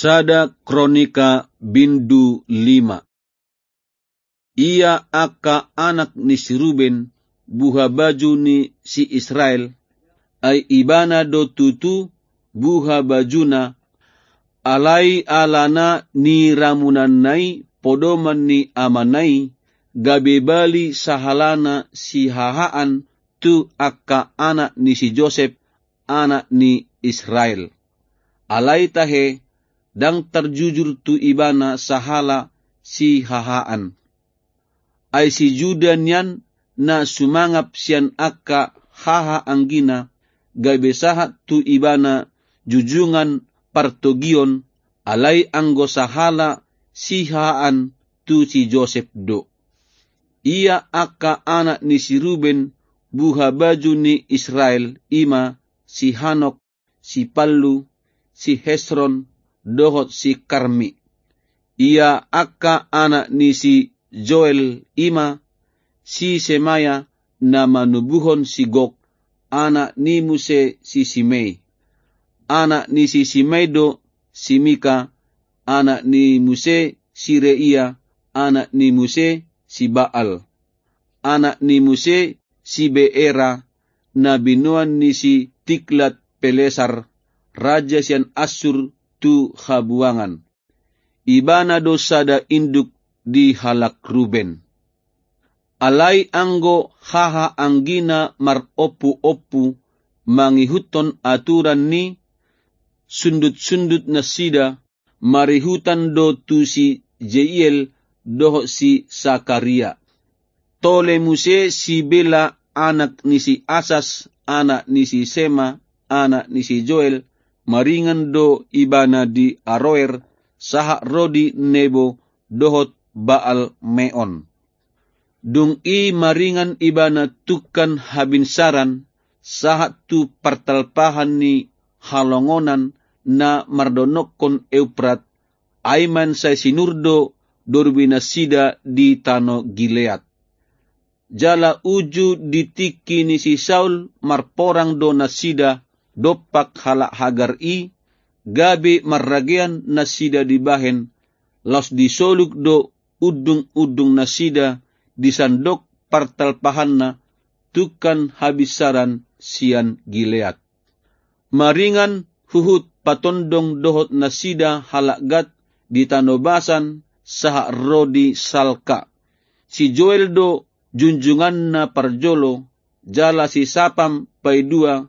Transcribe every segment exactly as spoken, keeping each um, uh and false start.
Sada Kronika bindu lima. Ia angka anak ni si Ruben, buha baju ni si Israel, ai ibana do tutu buha bajuna, alai alana niramunanna i podoman ni amana i, gabe bali sahalana sihahaan tu angka anak ni si Josep, anak ni Israel. Alai tahe, ndang tarjujur tu ibana sahala sihahaan. Ai si Juda nian na sumangap sian angka haha anggina, gabe sahat tu ibana jujungan partogion, alai anggo sahala sihahaan tu si Josep do. Ia angka anak ni si Ruben, buha baju ni Israel, i ma si Hanok, si Pallu, si Hesron, dohot si Karmi. Ia angka anak ni si Joel, i ma si Semaya, na manubuhon si Gok, anak ni muse si Simei. Anak ni si Simei do si Mika, anak ni muse si Reia, anak ni muse si Baal, anak ni muse si Beera, na binoan ni si Tiglat Pelesar, raja sian Assur, tu habuangan. Ibana do sada induk di halak Ruben. Alai anggo haha anggina marompuompu mangihuthon aturan ni sundut-sundut nasida, marihutan do tu si Jeiel dohot si Sakaria. Tole muse si Bela, anak ni si Asas, anak ni si Sema, anak ni si Joel, maringan do ibana di Aroer, sahat ro di Nebo dohot Baal Meon. Dung i maringan ibana tungkan habinsaran, sahat tu partalpahan ni halongonan na mardonokkon Euprat, ai mansai sinur do dorbi nasida di tano Gilead. Jala uju di tingki ni si Saul marporang do nasida dompak halak Hagar i, gabe marragean nasida dibahen, laos disoluk do undung-undung nasida di sandok partalpahanna tungkan habinsaran sian Gilead. Maringan huhut patondong dohot nasida halak Gad di tano Basan sahat ro di Salka. Si Joel do junjunganna parjolo, jala si Sapam paidua,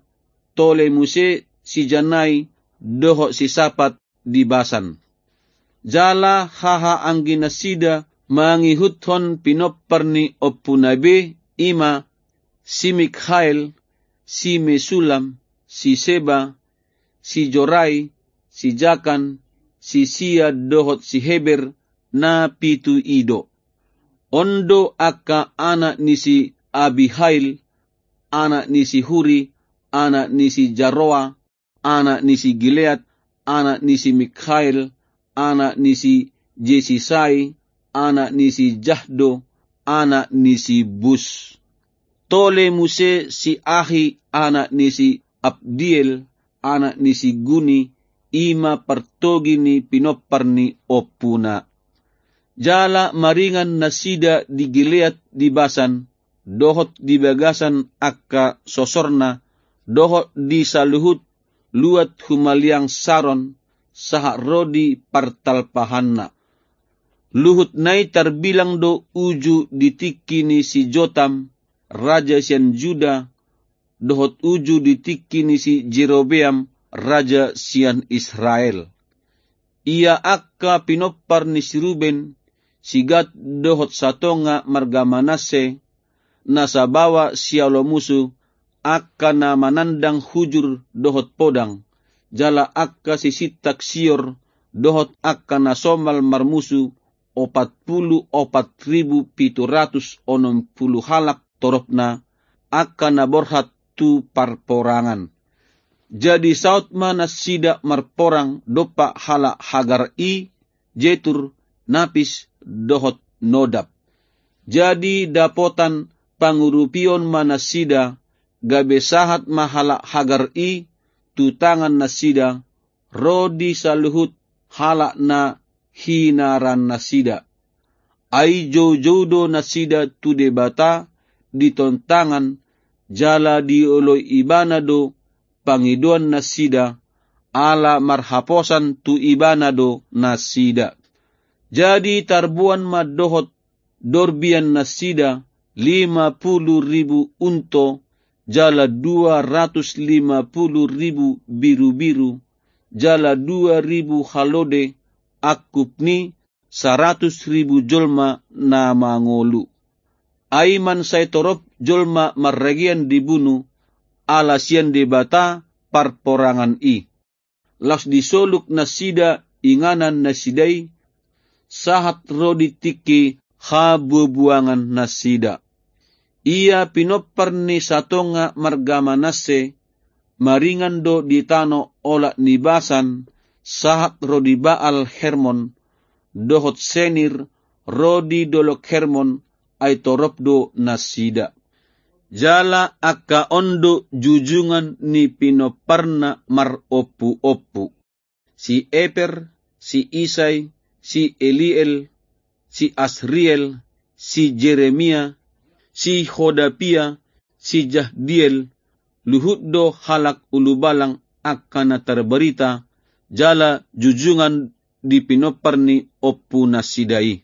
tole muse si Janai dohot si Sapat di Basan. Jala haha anggi nasida mangihuthon pinompar ni ompuna be, i ma si Mikhael, si Mesulam, si Seba, si Jorai, si Jakan, si Sia dohot si Heber, na pitu i do. On do angka anak ni si Abihail, anak ni si Huri, anak ni si Jaroa, anak ni si Gilead, anak ni si Mikhael, anak ni si Jesisai, anak ni si Jahdo, anak ni si Bus. Tole muse si Ahi, anak ni si Abdiel, anak ni si Guni, i ma partogi ni pinompar ni ompuna. Jala maringan nasida di Gilead di Basan, dohot di bagasan angka sosorna, dohot di saluhut luat humaliang Saron, sahat ro di partalpahanna. Luhutna i tarbilang do uju di tingki ni si Jotam, raja sian Juda, dohot uju di tingki ni si Jerobeam, raja sian Israel. Ia angka pinompar ni si Ruben, si Gad dohot satonga marga Manasse, na sabawa sialo musu, angka na manandang hujur dohot podang, jala angka sisintak sior, dohot angka na somal marmusu, opat pulu opat ribu pitu ratus onom pulu halak toropna, angka na borhat tu parporangan. Jadi saut ma nasida marporang dompak halak Hagar i, Jetur, Napis, dohot Nodab. Jadi dapotan pangurupion ma nasida, gabe sahat ma halak Hagar i tu tangan nasida, ro di saluhut halak na hinaran nasida. Ai joujou do nasida tu Debata di tontangan, jala dioloi Ibana do pangidoan nasida, ala marhaposan tu Ibana do nasida. Jadi tarboan ma dohot dorbian nasida lima pulu ribu unto, jala dua ratus lima pulu ribu birubiru, jala dua ribu halode, angkup ni saratus ribu jolma na mangolu. Ai mansai torop jolma marragean dibunu, ala sian Debata parporangan i. Laos disoluk nasida inganan nasida i, sahat ro di tingki habuabuangan nasida. Ia pinompar ni satonga marga Manasse, maringan do di tano olat ni Basan, sahat ro di Baal Hermon, dohot Senir, ro di dolok Hermon, ai torop do nasida. Jala angka on do jujungan ni pinomparna marompuompu: si Eper, si Isai, si Eliel, si Asriel, si Jeremia, si Hodapia, si Jahdiel, luhut do halak ulubalang angka na tarbarita, jala jujungan di pinompar ni ompu nasida i.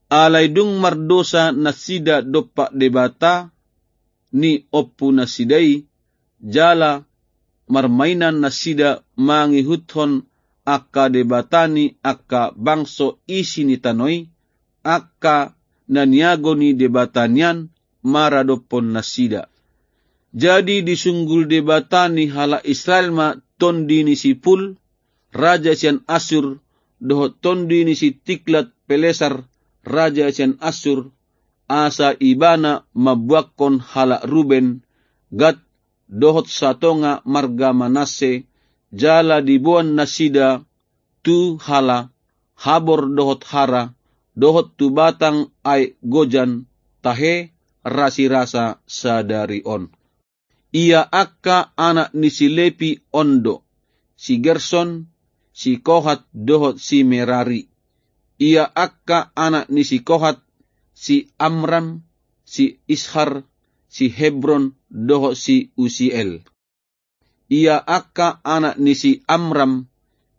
Alai dung mardosa nasida dompak Debata ni ompu nasida i, jala marmainan nasida mangihuthon angka debata ni angka bangso isi ni tano i, angka na niago ni debata nian maradophon nasida. Jadi disunggul Debata ni halak Israel ma tondi ni si Pul, raja sian Assur, dohot tondi ni si Tiglat Pelesar, raja sian Assur, asa ibana mambuangkon halak Ruben, Gad, dohot satonga marga Manasse, jala diboan nasida tu Hala, Habor dohot Hara, dohot tu batang aek Gojan, tahe rasirasa sadari on. Ia angka anak ni si Lepi on do: si Gerson, si Kohat dohot si Merari. Ia angka anak ni si Kohat: si Amram, si Ishar, si Hebron dohot si Usiel. Ia angka anak ni si Amram: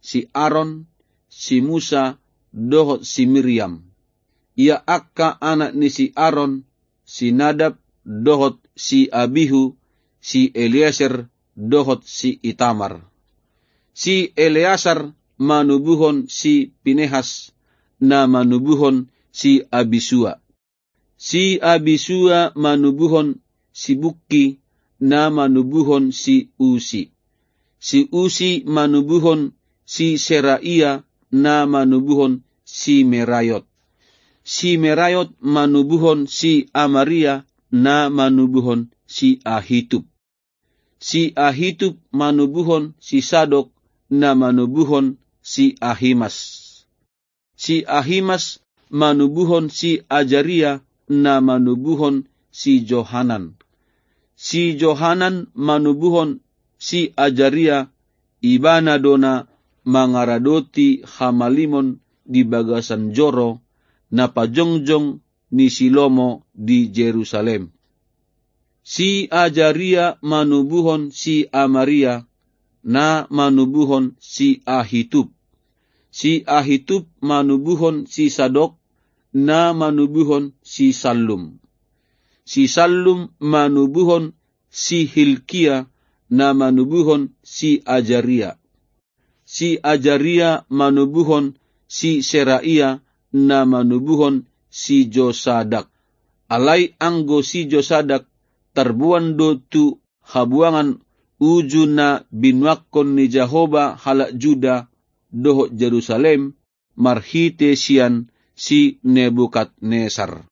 si Aron, si Musa dohot si Miriam. Ia angka anak ni si Aron: si Nadab dohot si Abihu, si Eleasar dohot si Itamar. Si Eleasar manubuhon si Pinehas, na manubuhon si Abisua. Si Abisua manubuhon si Bukki, na manubuhon si Usi. Si Usi manubuhon si Seraia, na manubuhon si Meraiot. Si Meraiot manubuhon si Amaria, na manubuhon si Ahitub. Si Ahitub manubuhon si Sadok, na manubuhon si Ahimas. Si Ahimas manubuhon si Ajaria, na manubuhon si Johanan. Si Johanan manubuhon si Ajaria, ibana do na mangaradoti hamalimon di bagasan joro, na pajongjong ni si Lomo di Jerusalem. Si Ajaria manubuhon si Amaria, na manubuhon si Ahitub. Si Ahitub manubuhon si Sadok, na manubuhon si Sallum. Si Sallum manubuhon si Hilkia, na manubuhon si Ajaria. Si Ajaria manubuhon si Seraia, na manubuhon si Josadak. Alai anggo si Josadak tarboan do tu habuangan uju na binuangkon ni Jahowa halak Juda dohot Jerusalem marhite sian si Nebukadnesar.